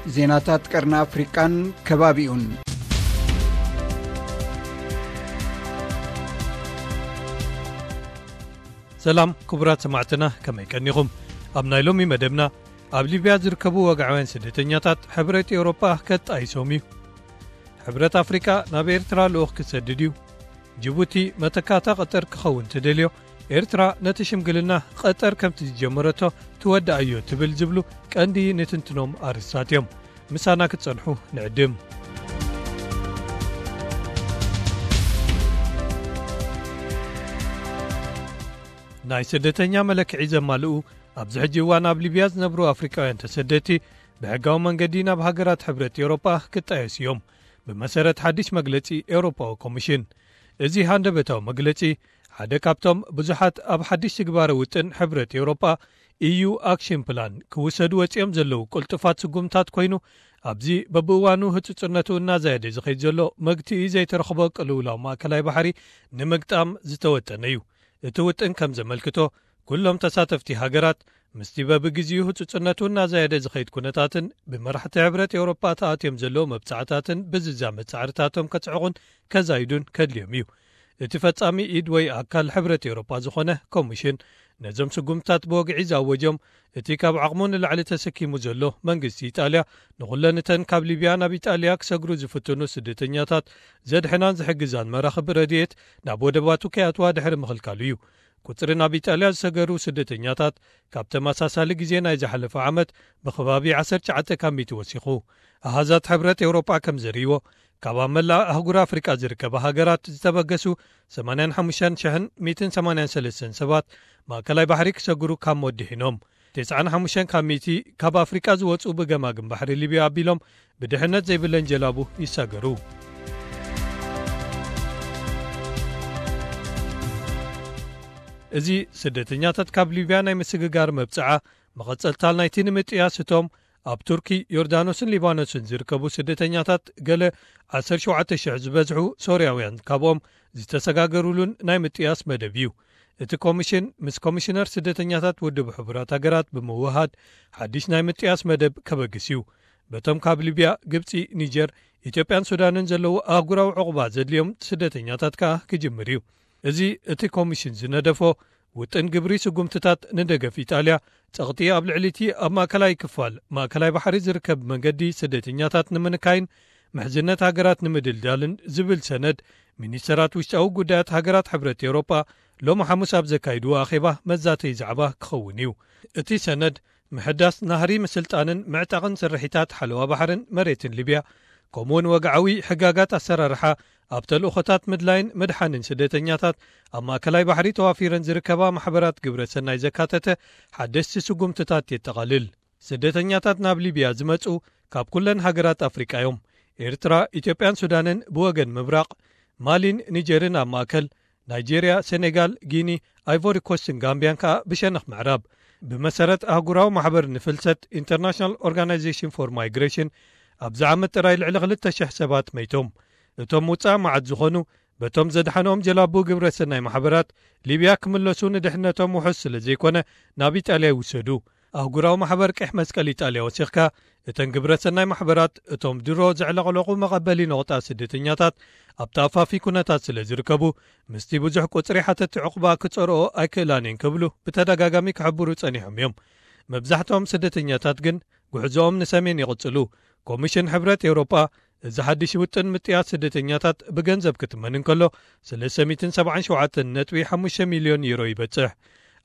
ዜናታት ቀርኒ ኣፍሪቃን ከባቢኡን። ሰላም ክቡራት ሰማዕትና፣ ከመይ ቀኒኹም? ኣብ ናይ ሎሚ መደብና፣ ኣብ ሊብያ ዝርከቡ ወግዓውያን ስደተኛታት ሕብረት ኤውሮጳ ከጣይሶም እዩ። ሕብረት ኣፍሪቃ ናብ ኤርትራ ልኡኽ ክሰድድ እዩ። ጅቡቲ መተካእታ ቀጠር ክኸውን ትደልዮ፣ ኤርትራ ነቲ ሽምግልና ቀጠር ከምቲ ዝጀመረቶ ትወድኣዮ ትብል ዝብሉ ቀንዲ ንትንትኖም ኣርእስታት እዮም። ምሳና ክትጸንሑ ንዕድም። ናይ ስደተኛ መለክዒ ዘማልኡ ኣብዚ ሕጂ እዋን ኣብ ሊብያ ዝነብሩ ኣፍሪቃውያን ተሰደድቲ ብሕጋዊ መንገዲ ናብ ሃገራት ሕብረት ኤውሮጳ ክጣየሱ እዮም፣ ብመሰረት ሓድሽ መግለጺ ኤውሮጳዊ ኮሚሽን። እዚ ሃንደበታዊ መግለጺ ሓደ ካብቶም ብዙሓት ኣብ ሓድሽ ትግባረ ውጥን ሕብረት ኤውሮጳ፣ ኢዩ ኣክሽን ፕላን፣ ክውሰዱ ወጺኦም ዘለዉ ቅልጡፋት ስጉምታት ኮይኑ፣ ኣብዚ በብእዋኑ ህጹጽነቱ እናዛየደ ዝኸይድ ዘሎ መግትኢ ዘይተረኽቦ ቅልውላው ማእከላይ ባሕሪ ንምግጣም ዝተወጠነ እዩ። እቲ ውጥን ከም ዘመልክቶ፣ ኩሎም ተሳተፍቲ ሃገራት ምስቲ በብግዜኡ ህጹጽነቱ እናዛየደ ዝኸይድ ኩነታትን ብመራሕቲ ሕብረት ኤውሮጳ ተኣትዮም ዘለዉ መብጻዕታትን ብዝዛመድ ጻዕርታቶም ከጽዕቑን ከዛይዱን ከድልዮም እዩ። እቲ ፈጻሚ ኢድ ወይ ኣካል ሕብረት ኤውሮጳ ዝኾነ ኮሚሽን ነዞም ስጉምትታት ብወግዒ ዝኣወጆም፣ እቲ ካብ ዓቕሙ ንላዕሊ ተሰኪሙ ዘሎ መንግስቲ ኢጣልያ ንኹለን እተን ካብ ሊብያ ናብ ኢጣልያ ክሰግሩ ዝፍትኑ ስደተኛታት ዘድሕናን ዝሕግዛን መራኽብ ረድኤት ናብ ወደባቱ ከይኣትዋ ድሕሪ ምኽልካሉ እዩ። ቁጽሪ ናብ ኢጣልያ ዝሰገሩ ስደተኛታት ካብ ተመሳሳሊ ግዜ ናይ ዝሓለፈ ዓመት ብኸባቢ ዓሰርተ ትሽዓተ ካብ ሚእቲ ወሲኹ። ኣሃዛት ሕብረት ኤውሮጳ ከም ዘርእይዎ፣ ካብ ኣብ መላእ ኣህጉር ኣፍሪቃ ዝርከባ ሃገራት ዝተበገሱ ሰማንያን ሓሙሽተን ሽሕን ሚእትን ሰማንያን ሰለስተን ሰባት ማእከላይ ባሕሪ ክሰግሩ ካብ ሞት ድሒኖም። ተስዓን ሓሙሽተን ካብ ሚእቲ ካብ ኣፍሪቃ ዝወጹ ብገማግም ባሕሪ ሊብያ ኣቢሎም ብድሕነት ዘይብለን ጀላቡ ይሳገሩ። እዚ ስደተኛታት ካብ ሊብያ ናይ ምስግጋር መብጽዓ መቐጸልታ ናይቲ ንምጥያስ እቶም ኣብ ቱርኪ፣ ዮርዳኖስን ሊባኖስን ዝርከቡ ስደተኛታት ገለ ዓሰርተ ሸውዓተ ሽሕ ዝበዝሑ ሶርያውያን ካብኦም ዝተሰጋገሩሉን ናይ ምጥያስ መደብ እዩ። እቲ ኮሚሽን ምስ ኮሚሽነር ስደተኛታት ውድብ ሕቡራት ሃገራት ብምውሃድ ሓድሽ ናይ ምጥያስ መደብ ከበግስ እዩ። በቶም ካብ ሊብያ፣ ግብጺ፣ ኒጀር፣ ኢትዮጵያን ሱዳንን ዘለዉ ኣህጉራዊ ዕቑባ ዘድልዮም ስደተኛታት ከኣ ክጅምር እዩ። እዚ እቲ ኮሚሽን ዝነደፎ ውጥን ግብሪ ስጉምትታት ንደገፍ ኢጣልያ፣ ጸቕጢ ኣብ ልዕሊ እቲ ኣብ ማእከላይ ክፋል ማእከላይ ባሕሪ ዝርከብ መንገዲ ስደተኛታት ንምንካይን ምሕዝነት ሃገራት ንምድልዳልን ዝብል ሰነድ ሚኒስተራት ውሽጣዊ ጉዳያት ሃገራት ሕብረት ኤውሮጳ ሎሚ ሓሙስ ኣብ ዘካይድዎ ኣኼባ መዛተዪ ዛዕባ ክኸውን እዩ። እቲ ሰነድ ምሕዳስ ናህሪ ምስልጣንን ምዕጣቕን ስርሒታት ሓለዋ ባሕርን መሬትን ሊብያ፣ ከምኡውን ወግዓዊ ሕጋጋት ኣሰራርሓ ኣብ ተልእኾታት ምድላይን ምድሓንን ስደተኛታት ኣብ ማእከላይ ባሕሪ ተዋፊረን ዝርከባ ማሕበራት ግብረ ሰናይ ዘካተተ ሓደስቲ ስጉምትታት የጠቓልል። ስደተኛታት ናብ ሊብያ ዝመጹ ካብ ኩለን ሃገራት ኣፍሪቃ እዮም። ኤርትራ፣ ኢትዮጵያን ሱዳንን ብወገን ምብራቕ፣ ማሊን ኒጀርን ኣብ ማእከል፣ ናይጄርያ፣ ሴኔጋል፣ ጊኒ፣ ኣይቮሪ ኮስትን ጋምብያን ከኣ ብሸነኽ ምዕራብ። ብመሰረት ኣህጉራዊ ማሕበር ንፍልሰት፣ ኢንተርናሽናል ኦርጋናይዜሽን ፎር ማይግሬሽን፣ ኣብዚ ዓመት ጥራይ ልዕሊ ክልተ ሽሕ ሰባት መይቶም። እቶም ውጻእ መዓት ዝኾኑ፣ በቶም ዘድሓኖም ጀላቡ ግብረ ሰናይ ማሕበራት ሊብያ ክምለሱ ንድሕነቶም ውሑስ ስለ ዘይኮነ፣ ናብ ኢጣልያ ይውሰዱ። ኣህጉራዊ ማሕበር ቀሕ መስቀል ኢጣልያ ወሲኽካ፣ እተን ግብረ ሰናይ ማሕበራት እቶም ድሮ ዘዕለቕለቑ መቐበሊ ነቑጣ ስደተኛታት ኣብ ተኣፋፊ ኩነታት ስለ ዝርከቡ፣ ምስቲ ብዙሕ ቁጽሪ ሓተቲ ዕቑባ ክጸርኦ ኣይክእላን እየን ክብሉ ብተደጋጋሚ ክሕብሩ ጸኒሖም እዮም። መብዛሕትኦም ስደተኛታት ግን ጉዕዞኦም ንሰሜን ይቕጽሉ። ኮሚሽን ሕብረት ኤውሮጳ እዚ ሓድሽ ውጥን ምጥያስ ስደተኛታት ብገንዘብ ክትመን እንከሎ፣ ሰለስተ ሚእትን ሰብዓን ሸውዓተን ነጥቢ ሓሙሽተ ሚልዮን ዩሮ ይበጽሕ።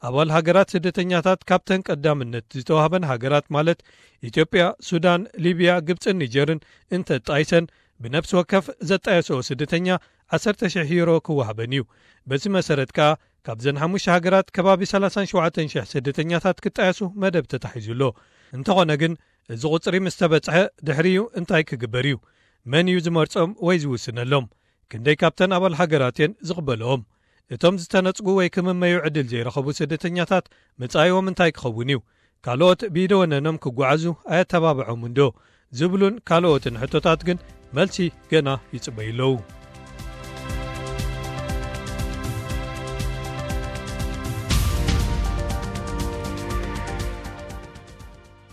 ኣባል ሃገራት ስደተኛታት ካብተን ቀዳምነት ዝተዋህበን ሃገራት ማለት ኢትዮጵያ፣ ሱዳን፣ ሊብያ፣ ግብጽን ኒጀርን እንተጣይሰን፣ ብነፍሲ ወከፍ ዘጣየስኦ ስደተኛ ዓሰርተ ሽሕ ዩሮ ክወሃበን እዩ። በዚ መሰረት ከኣ ካብዘን ሓሙሽተ ሃገራት ከባቢ ሰላሳን ሸውዓተን ሽሕ ስደተኛታት ክጣየሱ መደብ ተታሒዙ ኣሎ። እንተኾነ ግን፣ እዚ ቁጽሪ ምስ ተበጽሐ ድሕሪኡ እንታይ ክግበር እዩ? መን እዩ ዝመርጾም ወይ ዝውስነሎም? ክንደይ ካብተን ኣባል ሃገራት እየን ዝቕበልኦም? እቶም ዝተነጽጉ ወይ ክምመዩ ዕድል ዘይረኸቡ ስደተኛታት መጻኢኦም እንታይ ክኸውን እዩ? ካልኦት ብኢደ ወነኖም ክጓዓዙ ኣየተባብዖምን ዶ? ዝብሉን ካልኦትን ሕቶታት ግን መልሲ ገና ይጽበዩ ኣለዉ።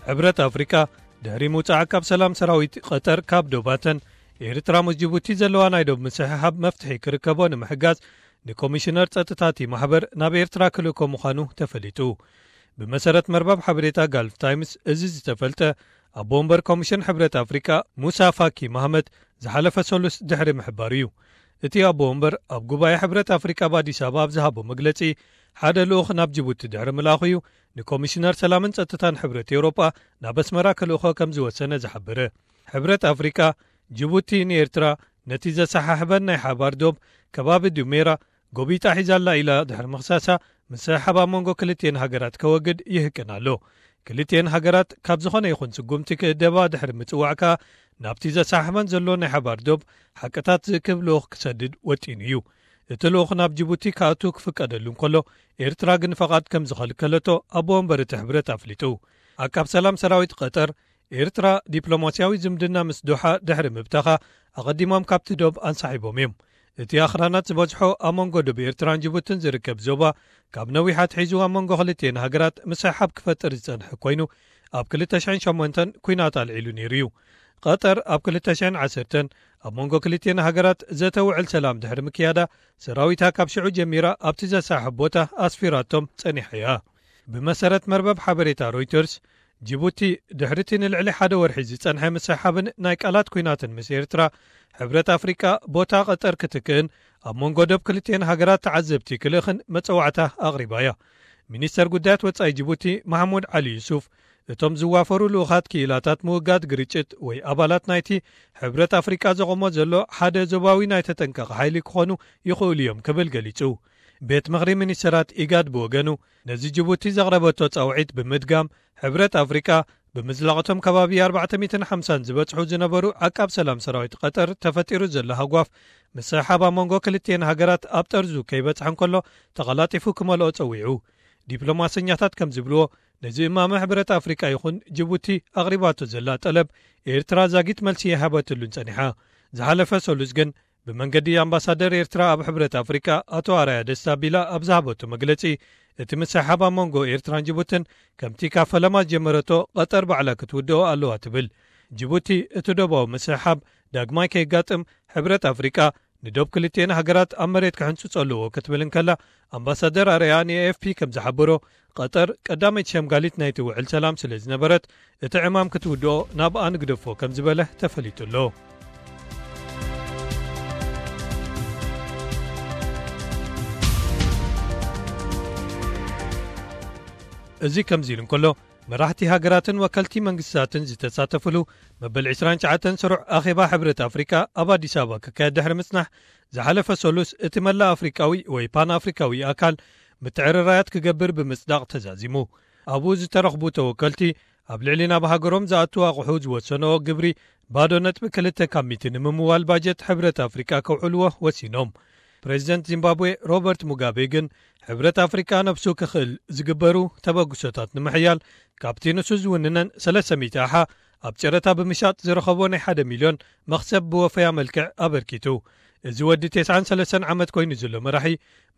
ሕብረት ኣፍሪቃ ድሕሪ ምውጻእ ዓቃብ ሰላም ሰራዊት ቀጠር ካብ ዶባተን፣ ኤርትራ ምስ ጅቡቲ ዘለዋ ናይ ዶብ ምስሕሓብ መፍትሒ ክርከቦ ንምሕጋዝ፣ ንኮሚሽነር ጸጥታ እቲ ማሕበር ናብ ኤርትራ ክልእኮ ምዃኑ ተፈሊጡ። ብመሰረት መርበብ ሓበሬታ ጋልፍ ታይምስ፣ እዚ ዝተፈልጠ ኣቦ ወንበር ኮሚሽን ሕብረት ኣፍሪቃ ሙሳ ፋኪ ማህመት ዝሓለፈ ሰሉስ ድሕሪ ምሕባሩ እዩ። እቲ ኣቦ ወንበር ኣብ ጉባኤ ሕብረት ኣፍሪቃ ኣብ ኣዲስ ኣበባ ኣብ ዝሃቦ መግለጺ፣ ሓደ ልኡኽ ናብ ጅቡቲ ድሕሪ ምልኣኹ እዩ ንኮሚሽነር ሰላምን ጸጥታን ሕብረት ኤውሮጳ ናብ ኣስመራ ክልእኾ ከም ዝወሰነ ዝሓበረ። ሕብረት ኣፍሪቃ፣ ጅቡቲ ንኤርትራ ነቲ ዘሰሓሕበን ናይ ሓባር ዶብ ከባቢ ዱሜራ ጎቢጣ ሒዛላ ኢላ ድሕሪ ምኽሳሳ፣ ምስሕሓብ ኣብ መንጎ ክልቲኤን ሃገራት ከወግድ ይህቅን ኣሎ። ክልቲኤን ሃገራት ካብ ዝኾነ ይኹን ስጉምቲ ክእደባ ድሕሪ ምጽዋዕ ከኣ፣ ናብቲ ዘሰሓሕበን ዘሎ ናይ ሓባር ዶብ ሓቅታት ዝእክብ ልኡኽ ክሰድድ ወጢኑ እዩ። እቲ ልኡኽ ናብ ጅቡቲ ክኣቱ ክፍቀደሉ እንከሎ፣ ኤርትራ ግን ፈቓድ ከም ዝኸልከለቶ ኣቦ ወንበር እቲ ሕብረት ኣፍሊጡ። ዓቃብ ሰላም ሰራዊት ቀጠር፣ ኤርትራ ዲፕሎማስያዊ ዝምድና ምስ ዶሓ ድሕሪ ምብታኻ፣ ኣቐዲሞም ካብቲ ዶብ ኣንሳሒቦም እዮም። እቲ ኣኽራናት ዝበዝሖ ኣብ መንጎ ዶብ ኤርትራን ጅቡትን ዝርከብ ዞባ፣ ካብ ነዊሕ ኣትሒዙ ኣብ መንጎ ክልቲኤን ሃገራት ምስሕሓብ ክፈጥር ዝጸንሐ ኮይኑ፣ ኣብ ክልተ ሽሕን ሸሞንተን ኲናት ኣልዒሉ ነይሩ እዩ። ቀጠር ኣብ ክልተ ሽሕን ዓሰርተን ኣብ መንጎ ክልቲኤን ሃገራት ዘተ ውዕል ሰላም ድሕሪ ምክያዳ፣ ሰራዊታ ካብ ሽዑ ጀሚራ ኣብቲ ዘሰሓሕብ ቦታ ኣስፊራቶም ጸኒሓ እያ። ብመሰረት መርበብ ሓበሬታ ሮይተርስ፣ ጅቡቲ ድሕሪ እቲ ንልዕሊ ሓደ ወርሒ ዝጸንሐ ምስሕሓብን ናይ ቃላት ኲናትን ምስ ኤርትራ፣ ሕብረት ኣፍሪቃ ቦታ ቀጠር ክትክእን ኣብ መንጎ ዶብ ክልቲኤን ሃገራት ተዓዘብቲ ክልእኽን መጸዋዕታ ኣቕሪባ እያ። ሚኒስተር ጉዳያት ወጻኢ ጅቡቲ ማሕሙድ ዓሊ ዩሱፍ፣ እቶም ዝዋፈሩ ልኡኻት ክኢላታት ምውጋድ ግርጭት ወይ ኣባላት ናይቲ ሕብረት ኣፍሪቃ ዘቖሞ ዘሎ ሓደ ዞባዊ ናይ ተጠንቀቕ ሓይሊ ክኾኑ ይኽእሉ እዮም ክብል ገሊጹ። ቤት ምኽሪ ሚኒስተራት ኢጋድ ብወገኑ፣ ነዚ ጅቡቲ ዘቕረበቶ ጻውዒት ብምድጋም፣ ሕብረት ኣፍሪቃ ብምዝላቕቶም ከባቢ ኣርባዕተ ሚእትን ሓምሳን ዝበጽሑ ዝነበሩ ዓቃብ ሰላም ሰራዊት ቀጠር ተፈጢሩ ዘሎ ሃጓፍ፣ ምስሕሓብ ኣብ መንጎ ክልቲኤን ሃገራት ኣብ ጠርዙ ከይበጽሐ እንከሎ፣ ተቐላጢፉ ክመልኦ ጸዊዑ። ዲፕሎማሰኛታት ከም ዝብልዎ፣ ነዚ እማመ ሕብረት ኣፍሪቃ ይኹን ጅቡቲ ኣቕሪባቶ ዘላ ጠለብ፣ ኤርትራ ዛጊት መልሲ ይሃበትሉን ጸኒሓ። ዝሓለፈ ሰሉስ ግን፣ ብመንገዲ ኣምባሳደር ኤርትራ ኣብ ሕብረት ኣፍሪቃ ኣቶ ኣርኣያ ደስታ ቢላ ኣብ ዝሃበቶ መግለጺ፣ እቲ ምስሕሓብ ኣብ መንጎ ኤርትራን ጅቡትን ከምቲ ካብ ፈለማ ዝጀመረቶ ቀጠር ባዕላ ክትውድኦ ኣለዋ ትብል። ጅቡቲ እቲ ዶባዊ ምስሕሓብ ዳግማይ ከየጋጥም ሕብረት ኣፍሪቃ ንዶብ ክልቲኤን ሃገራት ኣብ መሬት ክሕንጽጾ ኣለዎ ክትብል እንከላ፣ ኣምባሳደር ኣርኣያ ንኤኤፍፒ ከም ዝሓበሮ፣ ቀጠር ቀዳመይቲ ሸምጋሊት ናይቲ ውዕል ሰላም ስለ ዝነበረት፣ እቲ ዕማም ክትውድኦ ናብኣ ንግደፎ ከም ዝበለ ተፈሊጡ ኣሎ። እዚ ከምዚ ኢሉ እንከሎ፣ መራሕቲ ሃገራትን ወከልቲ መንግስታትን ዝተሳተፍሉ መበል ዕስራን ትሽዓተን ስሩዕ ኣኼባ ሕብረት ኣፍሪቃ ኣብ ኣዲስ ኣበባ ክካየድ ድሕሪ ምጽናሕ፣ ዝሓለፈ ሰሉስ እቲ መላእ ኣፍሪቃዊ ወይ ፓን ኣፍሪካዊ ኣካል ምትዕርራያት ክገብር ብምጽዳቕ ተዛዚሙ። ኣብኡ ዝተረኽቡ ተወከልቲ፣ ኣብ ልዕሊ ናብ ሃገሮም ዝኣቱ ኣቑሑ ዝወሰንኦ ግብሪ ባዶ ነጥቢ ክልተ ካብ ሚእቲ ንምምዋል ባጀት ሕብረት ኣፍሪቃ ከውዕልዎ ወሲኖም። ፕሬዚደንት ዚምባብዌ ሮበርት ሙጋቤ ግን፣ ሕብረት ኣፍሪቃ ነብሱ ክኽእል ዝግበሩ ተበግሶታት ንምሕያል፣ ካብቲ ንሱ ዝውንነን ሰለስተ ሚእቲ ኣሓ ኣብ ጨረታ ብምሻጥ ዝረኸቦ ናይ ሓደ ሚልዮን መኽሰብ ብወፈያ መልክዕ ኣበርኪቱ። እዚ ወዲ ተስዓን ሰለስተን ዓመት ኮይኑ ዘሎ መራሒ፣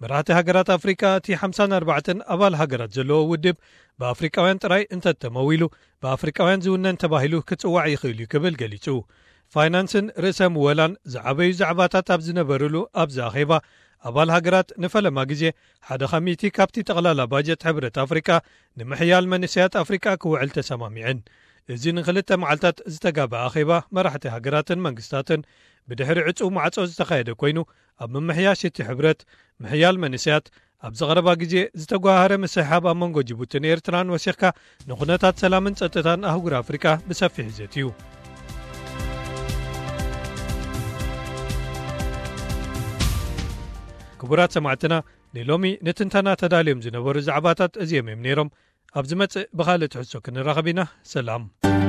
መራሕቲ ሃገራት ኣፍሪቃ፣ እቲ ሓምሳን ኣርባዕተን ኣባል ሃገራት ዘለዎ ውድብ፣ ብኣፍሪቃውያን ጥራይ እንተተመዊሉ፣ ብኣፍሪቃውያን ዝውነን ተባሂሉ ክጽዋዕ ይኽእል እዩ ክብል ገሊጹ። ፋይናንስን ርእሰ ምወላን ዝዓበዩ ዛዕባታት ኣብ ዝነበርሉ ኣብዚ ኣኼባ፣ ኣባል ሃገራት ንፈለማ ግዜ ሓደ ካብ ሚእቲ ካብቲ ጠቕላላ ባጀት ሕብረት ኣፍሪቃ ንምሕያል መንእሰያት ኣፍሪቃ ክውዕል ተሰማሚዐን። እዚ ንኽልተ መዓልታት ዝተጋበኣ ኣኼባ መራሕቲ ሃገራትን መንግስታትን ብድሕሪ ዕጹው ማዕጾ ዝተኻየደ ኮይኑ፣ ኣብ ምምሕያሽ እቲ ሕብረት፣ ምሕያል መንእሰያት፣ ኣብዚ ቀረባ ግዜ ዝተጓሃረ ምስሕሓብ ኣብ መንጎ ጅቡትን ኤርትራን ወሲኽካ፣ ንኹነታት ሰላምን ጸጥታን ኣህጉር ኣፍሪቃ ብሰፊሕ ዘትዩ። ክቡራት ሰማዕትና፣ ንሎሚ ንትንተና ተዳልዮም ዝነበሩ ዛዕባታት እዚኦም እዮም ነይሮም። ኣብ ዝመጽእ ብኻልእ ትሕዝቶ ክንራኸብ ኢና። ሰላም።